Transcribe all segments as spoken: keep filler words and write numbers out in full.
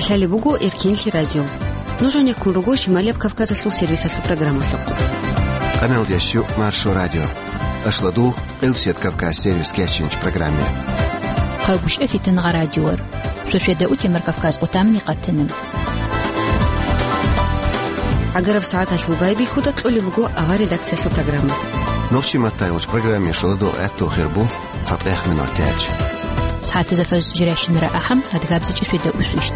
Лъалеб буго Эркенлъи радио. Нуж гьанеккун руго Шималияб Кавказалъул сервисалъул программалъухъ. Къаналдящу Маршо радио. Ашладул Къилсият Кавказ сервис кечинч программе. Хъагушев Фитнагъа радиор. Шошеда утемар Кавказ къутамни къатана. Агараб сагӀаталъул байбихьуда кьолеб буго авар редакциялъул программа. Нохчи маттайгъуч программе шоладо гӀатту хирбу. ЦатӀехъ минутач. СагӀатазда фажр жирайщинара ахӀам, адгабзичӀи шведа усвищ.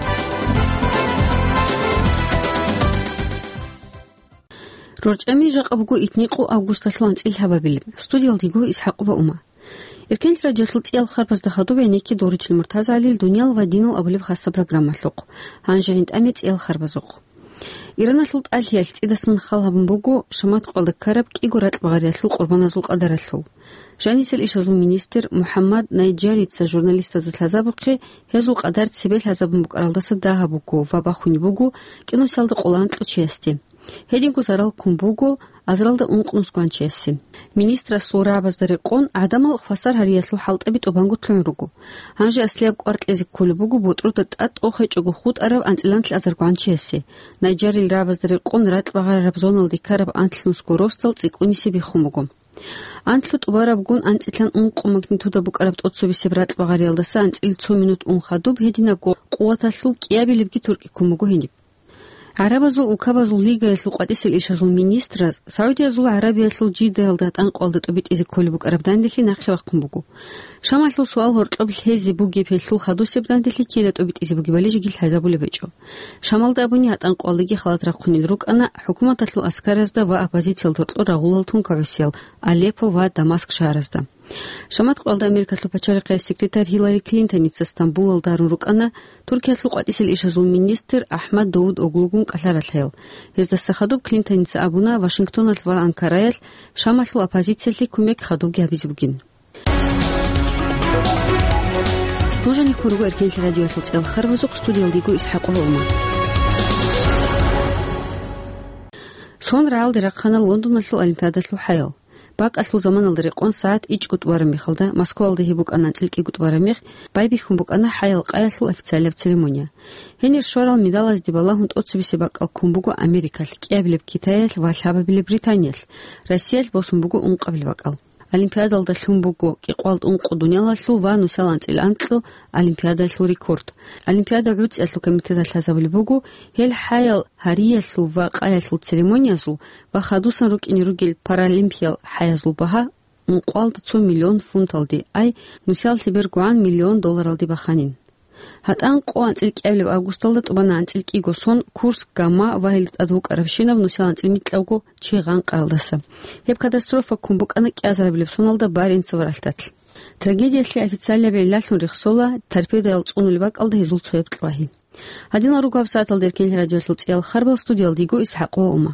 РорчӀами жакъа буго итникъу августалъул анцӀил лъабабилеб. Студиялдего ИсхӀакъова Ума. Эркенлъи радиолъул цӀиял харбазда хадуб гӀенекки Доричил МуртазгӀалил «Дуниял ва динал» абулеб хаса программалъухъ. Гьанже гӀинтӀаме цӀиял харбазухъ. Ираналъул тӀалъиялъ цӀидасан хал гьабун буго Шамат къвалда ккараб кӀиго ракьбагъариялъул къурбаназул къадаралъул. Жанисел ишазул министр МухӀаммад Найджарица журналистазда лъазабухъе гьезул къадар цебе лъазабун букӀаралдаса дагьаб буго ва бахунеб буго кӀинусиялда къоло анкьго чиясде. Гьединго зарал ккун буго азаралда ункънус гванчиясе. Министрасул рагӀабазда рекъон гӀадамал хвасар гьариялъул хӀалтӀаби тӀубанго лъугӀун руго. Гьанже аслияб кӀвар кьезе кколеб буго ботӀрода тӀад тӀохечӀого хутӀараб анцӀила анлъазар гванчиясе. Найджарил рагӀабазда рекъон ракьбагъарараб зоналде ккараб анлънусго росдал цӀикӀкӀунисе биххун буго. Анлъго тӀубарабгун анцӀилъан ункъо магнитуда букӀараб тӀоцебесеб ракьбагъариялдаса анцӀил цо минут ун хадуб гьединабго къуваталъул кӀиабилебги туркӀи ккун буго гьениб. ГӀарабазул улкабазул лигаялъул къватӀисел ишазул министраз Саудиязул ГӀарабиялъул Жиддаялда гьатӀанкъуялда тӀубитӀизе кколеб букӀараб данделъи нахъе вахъун буго. Шамалъул суал гьоркьоб лъезе бугеб гьелъул хадусеб данделъи кида тӀубитӀизе бугебали жеги лъазабулеб гьечӀо. Шамалда абуни гьатӀанкъуялдаги халат рахъунел рукӀана хӀукуматалъул аскаразда ва оппозициялда гьоркьор рагъулал тункагӀусиял Алеппо ва Дамаск шагьаразда. Шамат къвалда Америкалъул пачалихъе секретарь Гьиллари Клинтоница Стамбулалда гьарун рукӀана Туркиялъул къватӀисел ишазул министр Ахмад Давуд Оглугун кӀалъаралъаял. Гьездаса хадуб Клинтоница абуна Вашингтоналъ ва Анкараялъ Шамалъул оппозициялъе кумек хадубги гьабизе бугин. Нуж гьанеккун руго Эркенлъи радиоялъул цӀиял харбазухъ, студиялдего ИсхӀакъова Ума. Сон рагӀалде рахъана Лондоналъул Олимпиадалъул хӀаял. БакӀалъул заманалда рекъон сагӀат ичӀго тӀубараб мехалда, Москваялда гьеб букӀана анцӀил кӀиго тӀубараб мех, байбихьун букӀана хӀаял къаялъул официалияб церемония. Гьенир щварал медалазде балагьун тӀоцебесеб бакӀал ккун буго Америкалъ, кӀиабилеб Китаялъ ва лъабабилеб Британиялъ, Россиялъ босун буго ункъабилеб бакӀал. Олимпиадалда лъун буго кӀикъвалд ункъо дуниялалъул ва нусал анцӀил анкьго Олимпиадалъул рекорд. Олимпиада гӀуцӀиялъул комитеталъ лъазабулеб буго гьел хӀаял гьариялъул ва къаялъул церемониязул ва хадусан рукӀине ругел паралимпиял хӀаязул багьа ункъвалда цо миллион фунталде, ай, нусиялъе бергогӀан миллион долларалде баханин. ГьатӀанкъо анцӀил кӀиабилеб августалда тӀубана анцӀил кӀиго сон Курск, Гама ва гьелда тӀад вукӀарабщинаб нусиялда анцӀил микьавго чи гъанкъаралдаса. Гьеб катастрофа ккун букӀана кӀиазарабилеб соналда Баренцево ралъдалъ. Трагедиялъе официалияб гӀиллалъун рехсола торпедоял цӀунулеб бакӀалда гьезул цояб кьвагьи. Гьадинал руго гьабсагӀаталда Эркенлъи радиоялъул цӀиял харбал, студиялдего ИсхӀакъова Ума.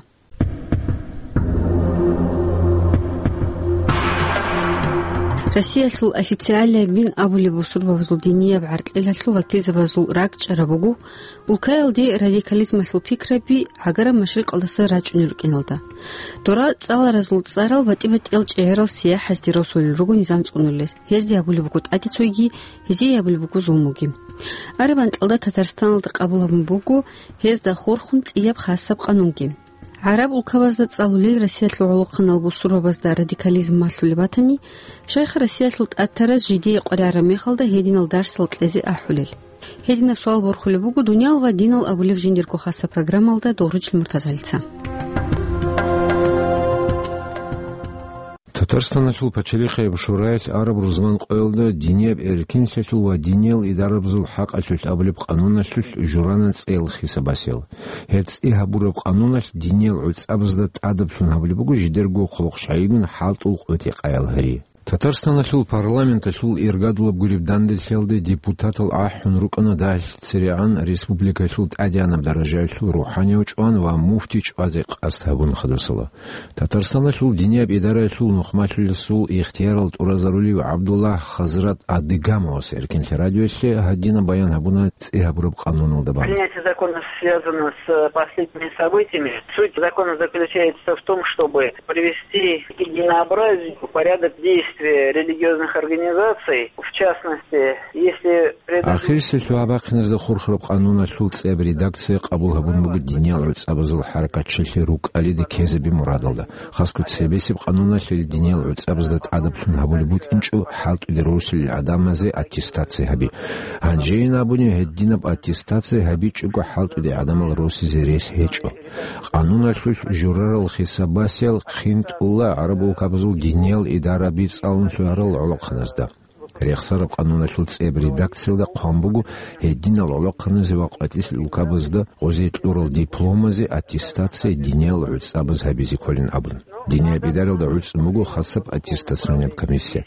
Россиялъул официалияб дин абулеб бусурбабазул динияб гӀаркьилалъул вакилзабазул ракӀчӀараб буго улкаялде радикализмалъул пикраби гӀагараб машрикъалдаса рачӀунел рукӀиналда. Дора цӀаларазул цӀарал батӀи-батӀиял чӀегӀерал сияхӀазде росулел руго низам цӀунулел, гьезде абулеб буго тӀаде цойги, гьезие абулеб буго зулмуги. Араб анкьалда Татарстаналда къабул гьабун буго гьезда хурхун цӀияб хасаб къанунги. ГӀараб улкабазда цӀалулел Россиялъул гӀолохъанал бусурбабазда радикализм малъулеб батани, шайха Россиялъул тӀатараз жидее къваригӀараб мехалда гьединал дарсал кьезе ахӀулел. Гьединаб суал борхулеб буго «Дуниял ва динал» абулеб жиндирго хаса программалда Доручил МуртазгӀалица. Татарстаналъул пачалихъияб шураялъ араб рузман къоялда динияб эркинлъиялъул ва диниял идарабазул хӀакъалъулъ абулеб къануналъулъ журана цӀеял хисабасел. Гьеб цӀи гьабураб къануналъ диниял гӀуцӀабазда тӀадаблъун гьабулеб буго жидерго хъулухъ щайигун хӀалтӀул къотӀи-къаял гьари. Татарстаналъул парламенталъул иргадулаб гуреб данделъиялде депутатал ахӀун рукӀана дагьалъ церегӀан республикалъул тӀадегӀанаб даражаялъул рухӀанияв чӀван ва муфти чӀвазе къасд гьабун хадусала. Татарстаналъул динияб идараялъул нухмалъулесул ихтиярал тӀуразарулев ГӀабдуллагь Хазрат Адыгамовас Эркинлъи радиоялъе гьадинаб баян гьабуна цӀи гьабураб къануналда бан. Принятие закона связано с последними событиями. Суть закона заключается в том, чтобы привести к единообразию порядок действия религиозных организаций, в В частности, если предыдущий Ахирисеб лъугьа-бахъиназда хурхараб къануналъул цӀияб редакция къабул гьабун буго диниял гӀуцӀабазул хӀаракатчилъи рукӀалиде ккезаби мурадалда. Хасго цебесеб къануналъе диниял гӀуцӀабазда тӀадаблъун гьабулеб букӀинчӀо хӀалтӀуде росулел гӀадамазе аттестация гьаби. Гьанжейин абуни, гьединаб аттестация гьабичӀого хӀалтӀуде гӀадамал росизе рес гьечӀо. Къануналъулъ журарал хисабасиял хъинтӀула гӀараб улкабазул диниял идараби цӀалун лъугьарал гӀолохъаназда. Рехсараб къануналъул цӀияб редакциялда хъван буго гьединал гӀолохъаназе ва къватӀисел улкабазда гъозе кьурал дипломазе аттестация диниял гӀуцӀабаз гьабизе кколин абун. Динияб идаралда гӀуцӀун буго хасаб аттестационияб комиссия.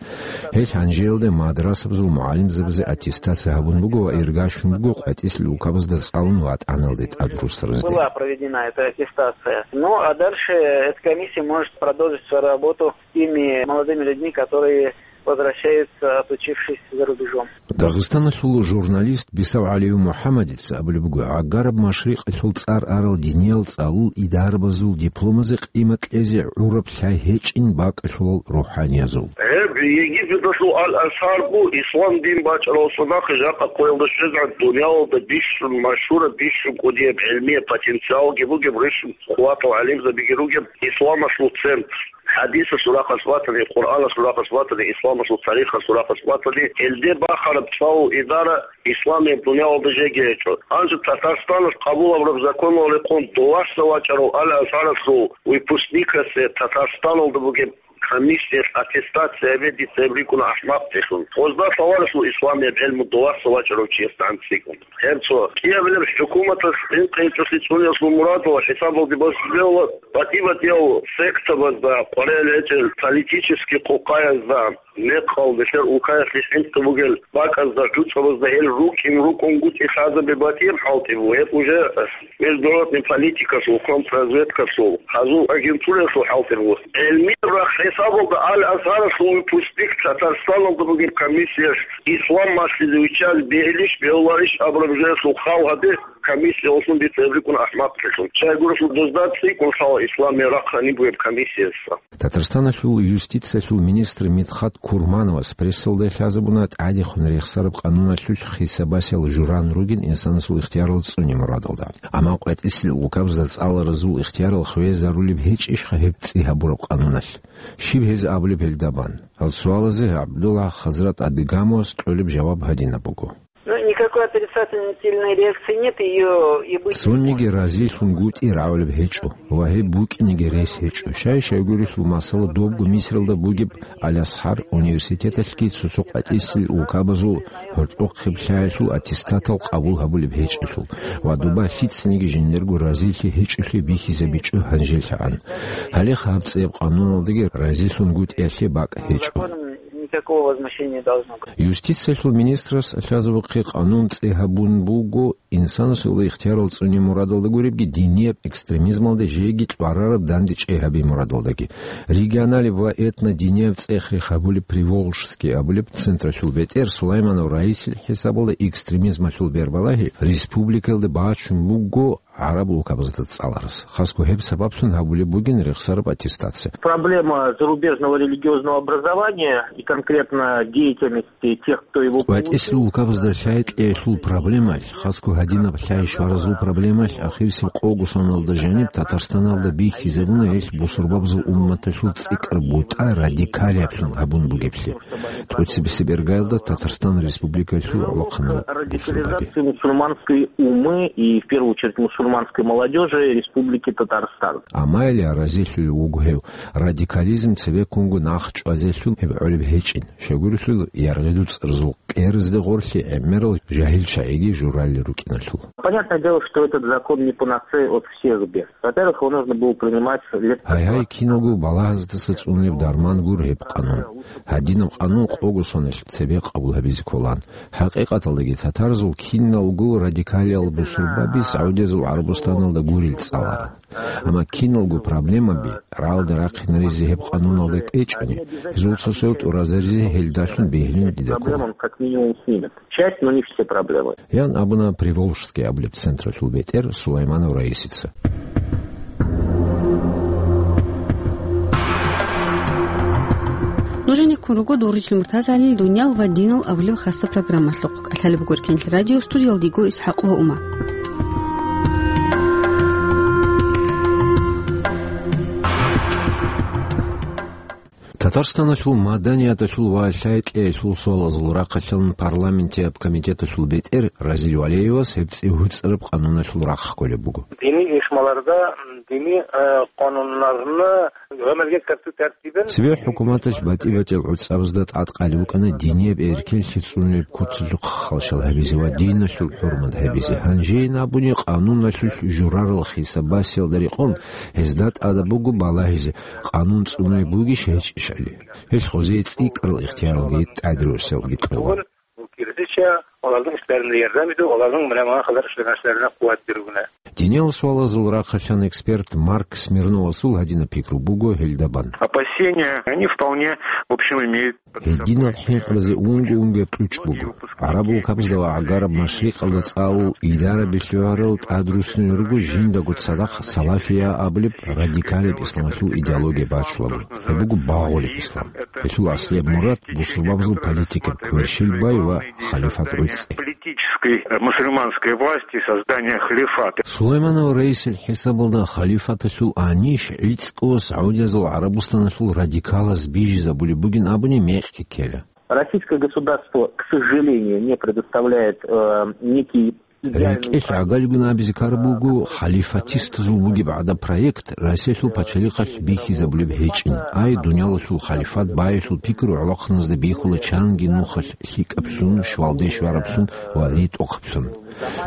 Гьелъ гьанжеялда мадрасабазул мугӀалимзабазе аттестация гьабун буго ва иргащун буго къватӀисел улкабазда цӀалун ватӀаналде тӀад русаразде. Была проведена эта аттестация. Ну, а дальше эта комиссия может продолжить свою работу с теми молодыми людьми, которые возвращаются, отучившись за рубежом. Дагъистаналъул журналист Бисав ГӀалиев МухӀаммадица абулеб буго, гӀагараб машрикъалъул цӀар арал диниял цӀалул идарабазул дипломазе къимат кьезе гӀураб лъай гьечӀин бакӀалъулал рухӀаниязул. Гьеб Египеталъул Ал-Азгьар бу, ислам дин бачӀарал цадахъ жакъа къоялда щвезегӀан дуниялалда бищун машгьураб, бищун кӀудияб гӀилмияб потенциалги бугеб, рищун хъуватал гӀалимзабиги ругеб исламалъул центр. ХӀадисалъул рахъалъ батани, Къуръаналъул рахъалъ батани, исламалъул тарихалъул рахъалъ батани, гьелде бахараб цӀалул идара исламияб дуниялалда жеги гьечӀо. Гьанже Татарстаналъ къабул гьабураб законалда рекъон дуласа вачӀарав Ал-Азгьаралъул выпускникасе Татарстаналда бугеб комиссиялъ аттестация гьабе дица гьеб рикӀкӀуна ахӀмакълъун. Гъозда лъаларелъул исламияб гӀелму дуласа вачӀарав чиясда гӀанцӀцӀикӀун. Гьеб цо кӀиабилеб хӀукуматалъ хӀинкъи гьечӀолъи цӀуниялъул мурадалда хӀисабалде босулеб батӀи-батӀиял сектабазда, къваригӀел гьечӀел политический къукъаязда, мекъал, бетӀер улкаялъе хӀинкъи бугел бакӀазда, гӀуцӀабазда гьел рукӀин-рукӀунгутӀи лъазабе батӀияб хӀалтӀи буго. Гьеб уже международный политикалъул, контрразведкалъул, гьазул агентураялъул хӀалтӀи буго. ГӀелмияб рахъ хӀисабалда Ал-Азгьаралъул выпускник Татарстаналда бугеб комиссиялъ ислам малъизе виччазе бегьилищ, бегьуларищ абураб жоялъул хал гьабе комиссия гьолъун дица гьеб рикӀкӀуна ахӀмакълъун. Щайгурелъул дозда цӀикӀкӀун лъала исламияб рахъ гьаниб бугеб комиссиясда. Татарстаналъул юстициялъул министр Мидхат Курмановас прессалда лъазабуна тӀадехун рехсараб къануналъулъ хисабасиял журан ругин инсанасул ихтиярал цӀуне мурадалда. Амма къватӀисел улкабазда цӀаларазул ихтиярал хвезарулеб гьечӀищха гьеб цӀи гьабураб къануналъ? Щиб гьез абулеб гьелда бан? Гьал суалазе ГӀабдулла Хазрат Адыгамовас кьолеб жаваб гьадинаб буго. Ну, никакой отрицательной реакции нет, её и быть не Цониги может. РазилъунгутӀи рагӀулеб гьечӀо ва гьеб букӀинеги рес гьечӀо. Щай-щайгурелъул масала добго Мисралда бугеб Ал-Азгьар университеталъги цо-цо къватӀисел улкабазул гьоркьохъеб лъаялъул аттестатал къабул гьабулеб гьечӀелъул ва доба лъицаниги жиндирго разилъи гьечӀолъи бихьизабичӀо гьанжелъагӀан. Гьале хабцӀияб къануналдаги разилъунгутӀиялъе бакӀ гьечӀо. Никакого возмущения не должно быть. Юстициялъул министрас лъазабухъе къанун цӀи гьабун буго, инсанасул ихтиярал цӀуне мурадалда гуребги, динияб экстремизмалде жеги кьварараб данде чӀей гьабе мурадалдаги. Регионалеб ва этнодинияб цӀех-рех гьабулеб Приволжский абулеб централъул бетӀер Сулайманов Раисил хӀисабалда экстремизмалъул бербалагьи республикаялда бачун буго гӀараб улкабазда цӀаларас. Хасго гьеб сабаблъун гьабулеб бугин рехсараб аттестация. Проблема зарубежного религиозного образования и конкретно деятельности тех, кто его получил. КъватӀисел улкабазда лъай кьеялъул проблемалъ, хасго гьадинаб лъай щваразул проблемалъ ахирисеб къого соналда жаниб Татарстаналда бихьизабуна гьелъ бусурбабазул умматалъул цӀикӀкӀар бутӀа радикалиблъун гьабун бугеблъи. ТӀоцебесеб иргаялда Татарстан Республикалъул гӀолохъанал бусурбаби. Радикализация мусульманской умы и, в первую очередь, мусульманской молодёжи Республики Татарстан. Амма гьеле разилъулев вуго гьев, радикализм цебеккунго нах чӀвазелъул гьеб гӀолеб гьечӀин, щайгурелъул яргъиду цӀарзул кӀеразде гъорлъи гӀемерал жагьил чагӀиги журалел рукӀиналъул. Понятное дело, что этот закон не панацея от всех бед. Во-первых, его нужно было принимать лет Гьай-гьай, киналго балагьаздаса цӀунулеб дарман гуро гьеб къанун. Гьадинаб къанун къого соналъ цебе къабул гьабизе кколан. ХӀакъикъаталдаги татарзул киналго радикалиял бусурбаби Саудиязул ГӀарабустаналда гурел цӀаларан. Амма киналго проблемаби рагӀалда рахъинаризе гьеб къануналда кӀвечӀони, гьезул цо-цояв тӀуразаризе гьелдалъун бегьилин дида ккола. Проблемам как минимум снимет. Часть, но не все проблемы. Ян абуна Приволжский абулеб централъул бетӀер Сулайманов Раисица. Нужениккун руго Доржил МуртазагӀалил «Дуниял ва динал» абулеб хасаб программалъухъ. КӀалъалеб буго Эркенлъи радио, студиялда йиго ИсхӀакъ ва Ума. Татарстаналъул маданияталъул ва лъай-кьеялъул суалазул рахъалъан парламентияб комитеталъул бетӀер Разил Валеевас гьеб цӀи гьуцӀараб къануналъул рахъ кколеб буго. Дини ишмаларда, дини, э, къанунарны гӀамалги ккарцу тартибан. Цебе хӀукуматалъ батӀи-батӀиял гӀуцӀабазда тӀадкъали букӀана динияб эркенлъи цӀунулеб куцалъухъ халщал гьабизе ва диналъул хӀурмат гьабизе. Гьанжейин абуни, къануналъулъ журарал хисаб-басиялда рекъон гьезда тӀадаб буго балагьизе, къанун цӀунай бугищ гьечӀищали. Гьелъ гъозие цӀикӀкӀарал ихтияралги тӀадруссиялги кьола. Кирдича, оларның эшләрендә ярдәм итү, оларның менә моңа кадәр эшләгән эшләренә куәт бирү генә. Диниял суалазул рахъалъан эксперт Марк Смирновасул гьадинаб пикру буго гьелда бан. Опасения, они вполне, в общем, имеют под собой. Гьединал хӀинкъаразе унго-унгояб кьучӀ буго. ГӀараб улкабазда ва гӀагараб машрикъалда цӀалул идарабилъи гьарал тӀадруссинал руго жиндаго цадахъ салафия абулеб радикалияб исламалъул идеология бачулабу. Гьеб буго багъулеб ислам. Гьелъул аслияб мурад бусурбабазул политикаб кверщел бай ва халифат гӀуцӀи. Политической, э, мусульманской власти и создания халифата. Сулайманов раисил хӀисабалда халифаталъул аниш гӀицӀго Саудиязул ГӀарабустаналъул радикалаз бижизабулеб бугин абуни мекъи ккела. Российское государство, к сожалению, не предоставляет, э, некий РекӀелъ гӀагалигун абизе ккараб буго, халифатистазул бугеб гӀадаб проект Россиялъул пачалихъалъ бихьизабулеб гьечӀин. Ай, дуниялалъул халифат баялъул пикру гӀолохъаназда бихьула чанги нухалъ лъикӀаблъун, щвалде щвараблъун ва ритӀухъаблъун.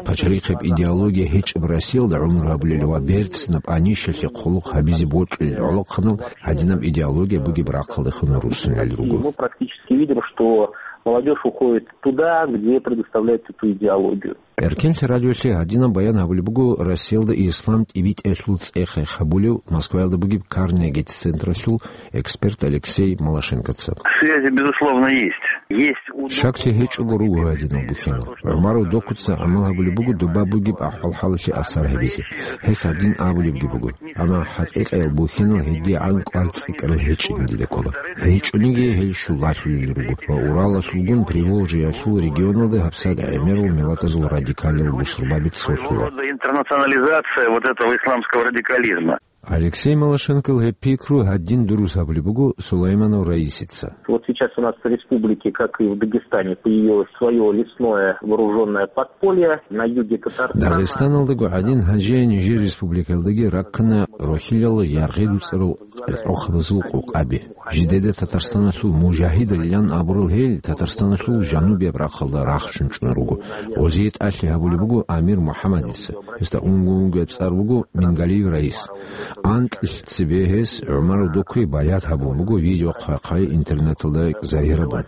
Пачалихъеб идеология гьечӀеб Россиялда гӀумру гьабулел ва берцинаб анишалъе хъулухъ гьабизе бокьулел гӀолохъанал гьадинаб идеология бугеб рахъалдехун руссунел руго. Мы практически видим, что молодёжь уходит туда, где предоставляют эту идеологию. Эркенлъи радиолъе гьадинаб баян гьабулеб буго Россиялда ислам тӀибитӀиялъул цӀех-рех гьабулев Москваялда бугеб Карнеги централъул эксперт Алексей Малашенкоца. Связи, безусловно, есть. Есть у... Щаклъи гьечӀого руго гьадинал бухьинал. ГӀумаров Докуца гӀамал гьабулеб буго доба бугеб ахӀвал-хӀалалъе асар гьабизе. Гьес гьадин абулебги буго. Амма хӀакъикъиял бухьинал гьедигӀан кӀвар цӀикӀкӀарал гьечӀин дида ккола. ГьечӀониги гьел щулалъулел руго ва Уралалъулгун Приволжьеялъул регионалда гьабсагӀат гӀемерал миллатазул радикалиял бусурбаби цолъула. Своего рода интернационализация вот этого исламского радикализма. Алексей Малашенкол гьеб пикру гьадин дурус гьабулеб буго Сулайманов раисица. Вот сейчас у нас в республике, как и в Дагестане, появилось своё лесное вооружённое подполье на юге Татарстана. Дагъистаналдаго гӀадин гьанже нижер республикаялдаги раккана рохьилал яргъи дуцӀарал къеркьохъабазул къокъаби. Жидеда Татарстаналъул мужагьидалилан абурал гьел Татарстаналъул жанубияб рахъалда рахчун чӀун руго. Гъозие тӀалъи гьабулеб буго Амир МухӀаммадица. Гьесда унго-унгояб цӀар буго Мингалиев Раис. Анкьилъ цебе гьес ГӀумаров Докуе баят гьабун буго видео хъвай-хъвай интернеталда загьирабун.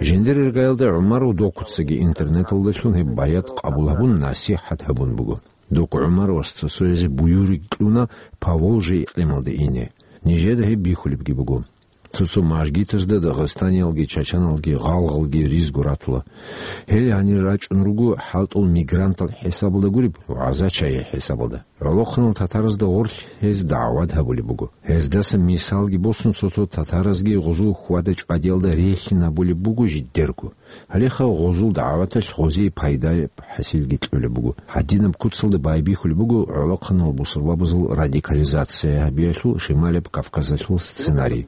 Жиндир иргаялда ГӀумаров Докуцаги интернеталдалъун гьеб баят къабул гьабун, насихӀат гьабун буго. Доку ГӀумаровас цо-цоязе буюрги кьуна Поволжье икълималде ине. Нижеда гьеб бихьулебги буго. Цо-цо мажгитазда дагъистаниялги, чачаналги, гъалгъалги ризго ратула. Гьел гьанир рачӀун руго хӀалтӀул мигрантал хӀисабалда гуреб, гӀаза-чайи хӀисабалда. ГӀолохъанал татаразда гъорлъ гьез дагӀват гьабулеб буго. Гьездаса мисалги босун, цо-цо татаразги гъузул хьвада-чӀвадиялда релълъин гьабулеб буго жидерго. Гьалеха гъузул дагӀваталъ гъозие пайдаяб хӀасилги кьолеб буго. Гьадинаб куцалда байбихьулеб буго гӀолохъанал бусурбабазул радикализация гьабиялъул Шималаб Кавказалъул сценарий.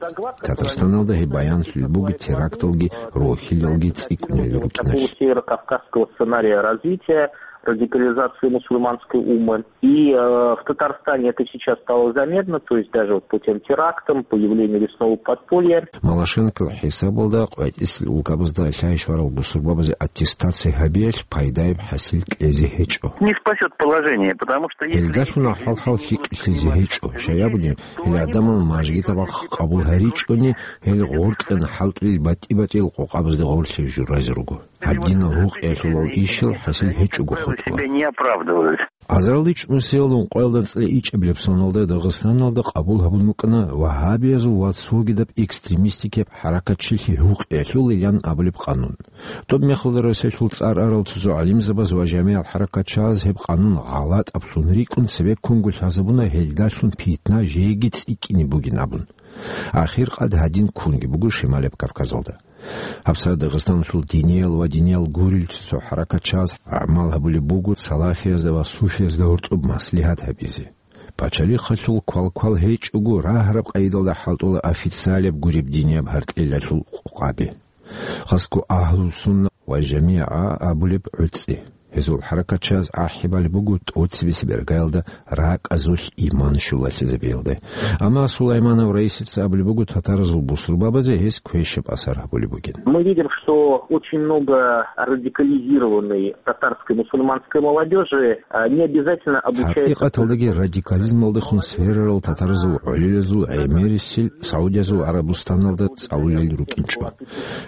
Татарстаналда гьеб баянлъулеб буго теракталги рохьилалги цӀикӀкӀунел рукӀиналъ. Северо-кавказского сценария развития радикализации мусульманской уммы. И, э, в Татарстане это сейчас стало заметно, то есть даже вот по тем терактам, появлению лесного подполья. Малашенкол хӀисабалда къватӀисел улкабазда лъай-щварал бусурбабазе аттестация гьабиялъ пайдаяб хӀасил кьезе гьечӀо. Не спасёт положение, потому что если... Гьелдалъун ахӀвал-хӀал лъикӀлъизе гьечӀо. Щай абуни, гьел гӀадамал мажгитабахъ къабул гьаричӀони, гьел гъоркьан хӀалтӀулел батӀи-батӀиял къокъабазде гъорлъе журазе руго. Гьадинал гьукъиялъулал ишал хӀасил гьечӀого хутӀула. Себя не оправдывают. Азаралде чӀунусиялда ункъоялда анцӀила ичӀабилеб соналда Дагъистаналда къабул гьабун букӀана вагьабиязул ва цогидаб экстремистикияб хӀаракатчилъи гьукъиялъулилан абулеб къанун. Тоб мехалда Россиялъул цӀар арал цо-цо гӀалимзабаз ва жамигӀал хӀаракатчияз гьеб къанун гъалатӀаблъун рикӀкӀун цебеккунго лъазабуна, гьелдалъун питна жеги цӀикӀкӀине бугин абун. Ахир къад гьадин ккунги буго Шималаб Кавказалда. ГьабсагӀат Дагъистаналъул диниял ва диниял гурел цо-цо хӀаракатчияз гӀамал гьабулеб буго салафиязда ва суфиязда гьоркьоб маслигьат гьабизе. Пачалихъалъул квалквал гьечӀого, рагьараб къайдалда хӀалтӀула официалаб гуреб динияб гьаркьелалъул къокъаби. Хасго агьлу-сунна ва жамигӀа абулеб гӀуцӀи. Гьезул хӀаракатчияз ахӀи балеб буго тӀоцебесеб иргаялда ракӀазулъ иман щулалъизабиялде. Амма Сулайманов Раисица абулеб буго татаразул бусурбабазе гьес квешаб асар гьабулеб бугин. Мы видим, что очень много радикализированной татарской мусульманской молодёжи, а, не обязательно обучается. ХӀакъикъаталдаги радикализмалдехун сверарал татаразул гӀолилазул гӀемерисел Саудиязул ГӀарабустаналда цӀалулел рукӀинчӀо.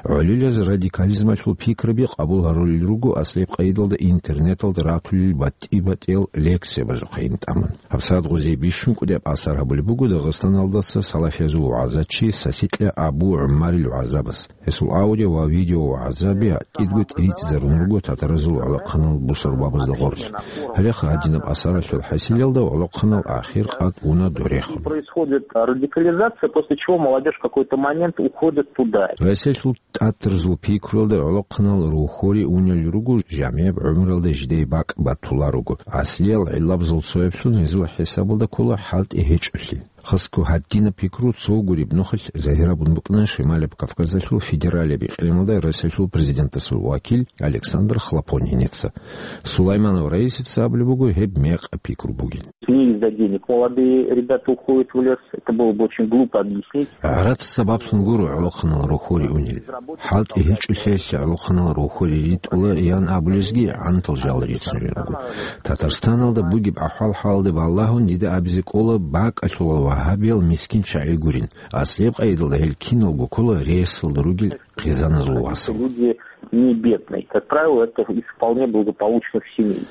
ГӀолилаз радикализмалъул пикраби къабул гьарулел руго аслияб къайдалда интернеталда ратулел батӀи-батӀиял лекциябазухъе тӀамун. ГьабсагӀат гъозие бищун кӀудияб асар гьабулеб буго Дагъистаналдаса салафиязул вагӀзачи Сасикьа Абу ГӀумарил вагӀзабаз. Гьесул аудио ва видео вагӀзаби кӀиго тӀиритӀизарун руго татаразул гӀолохъанал бусурбабазда гъорлъ. Гьалеха гьадинаб асаралъул хӀасилалда гӀолохъанал ахир къад уна дорехун. Происходит радикализация, после чего молодёжь в какой-то момент уходит туда. Расиялъул тӀатаразул пикруялда гӀолохъанал рухьоре унел руго, жамигӀаб гӀумруялда жидее бакӀ батулел руго. Аслиял гӀиллабазул цояблъун гьезул хӀисабалда ккола хӀалтӀи гьечӀолъи. Хасго гьадинаб пикру цо гуреб нухалъ загьир гьабун букӀана Шималаб Кавказалъул федералияб регионалда Россиялъул президентасул вакил Александр Хлопониница. Сулайманов Раисица абулеб буго гьеб мекъаб пикру бугин. Не из-за денег молодые ребята уходят в лес. Это было бы очень глупо объяснить. ГӀарац сабаблъун гуро гӀолохъанал рухьоре унел. ХӀалтӀи гьечӀолъиялъе гӀолохъанал рухьоре ритӀула ян абулезги гӀантал жал рицунел руго. Татарстаналда бугеб ахӀвал-хӀалалде балагьун дида абизе кӀола бакӀалъулал вагьабиял мискин чагӀи гурин. Аслияб къайдалда гьел киналго ккола ресалда ругел хъизаназул васал. Люди не бедные. Как правило, это из вполне благополучных семей.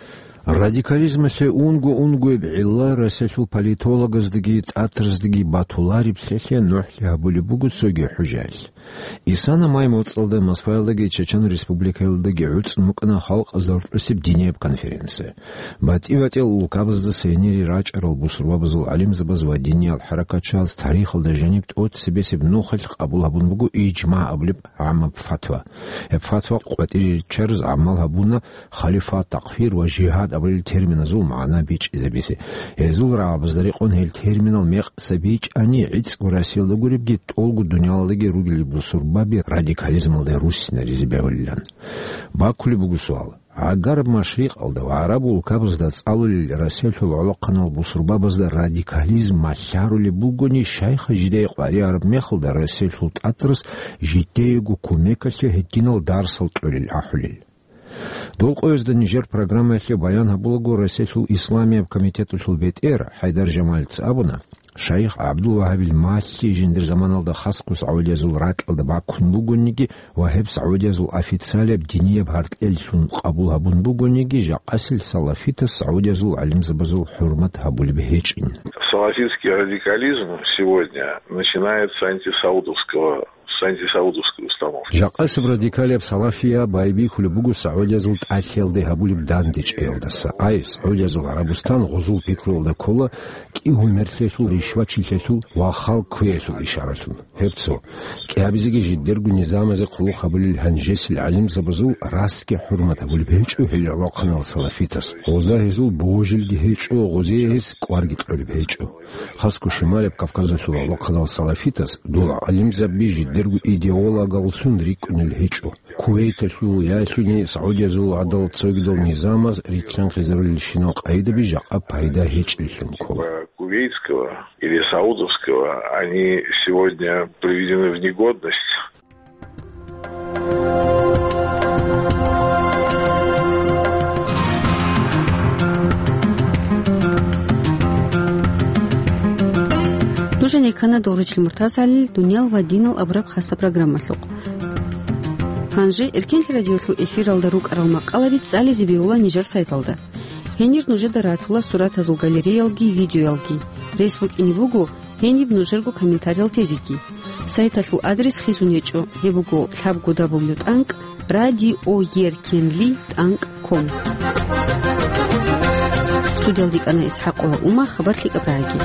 Радикализмалъе унго-унгояб гӀилла Россиялъул политологаздаги тӀатараздаги батулареблъиялъе нухӀлъи гьабулеб буго цоги хӀужаялъ. Исана май моцӀалда Москваялдаги Чечен Республикаялдаги гӀуцӀун букӀана халкъазда гьоркьосеб динияб конференция. БатӀи-батӀиял улкабаздаса гьенире рачӀарал бусурбабазул гӀалимзабаз ва диниял хӀаракатчияз тарихалда жаниб тӀоцебесеб нухалъ къабул гьабун буго ижма абулеб гӀаммаб фатва. Гьеб фатва къватӀире риччараз гӀамал гьабуна халифат, такфир ва жигьад абулел терминазул магӀна бичӀчӀизабизе. Гьезул рагӀабазда рекъон гьел терминал мекъса бичӀчӀани, гӀицӀго Россиялда гуребги, тӀолго дуниялалдаги ругел бусурбаби радикализмалде руссинаризе бегьулилан. Бакулеб буго суал. ГӀагараб машрикъалда ва гӀараб улкабазда цӀалулел Россиялъул гӀолохъанал бусурбабазда радикализм малъарулеб бугони, щайха жидее къваригӀараб мехалда Россиялъул тӀатарас жидеего кумекалъе гьединал дарсал кьолел ахӀулел? Дол къоязда нижер программаялъе баян гьабулаго Россиялъул Исламияб комитеталъул бетӀер ХӀайдар Жамалица абуна, Шайх ГӀабдул-Вагьабил малъи жиндир заманалда хасго сагӀудиязул ракьалда бакун бугониги ва гьеб сагӀудиязул официалияб динияб гьаркьеллъун къабул гьабун бугониги, жакъасел салафитас сагӀудиязул гӀалимзабазул хӀурмат гьабулеб гьечӀин. Салафитский радикализм сегодня начинается с антисаудовского, с антисаудовской установки. Жакъасеб радикалияб салафия байбихьулеб буго сагӀудиязул тӀалъиялде гьабулеб дандечӀеялдаса. Ай, СагӀудиязул ГӀарабустан гъозул пикруялда ккола кӀигьумерлъиялъул, ришвачилъиялъул ва халкъ кквеялъул ишаралъун. Гьеб цо. КӀиабизеги жидерго низамазе хъулухъ гьабулел гьанжесил гӀалимзабазул расги хӀурмат гьабулеб гьечӀо гьел гӀолохъанал салафитас. Гъозда гьезул божилги гьечӀо, гъозие гьес кӀварги кьолеб гьечӀо. Хасго Шималаб Кавказалъул гӀолохъанал салафитас дол гӀалимзаби жидерго идеологаллъун рикӀкӀунел гьечӀо. Кувейталъул яги СагӀудиязул гӀадал цогидал низамаз рилълъанхъизарулелщинал къайдаби жакъа пайда гьечӀеллъун ккола. Кувейтского или саудовского, они сегодня приведены в негодность. Нуж гьенеккана Доручил МуртазгӀалил «Дуниял ва динал» абураб хасаб программалъухъ. Гьанже Эркенлъи радиолъул эфиралда рукӀарал макъалаби цӀализе бегьула нижер сайталда. Гьенир нужеда ратула суратазул галереялги видеоялги. Рес букӀине буго гьениб нужерго комментариял тезеги. Сайталъул адрес хисун гьечӀо, гьеб буго лъабго дабл ю тӀанкӀ радиоеркенли тӀанкӀ ком. Студиялда йикӀана ИсхӀакъова Ума, хабар лъикӀаб рагьаги.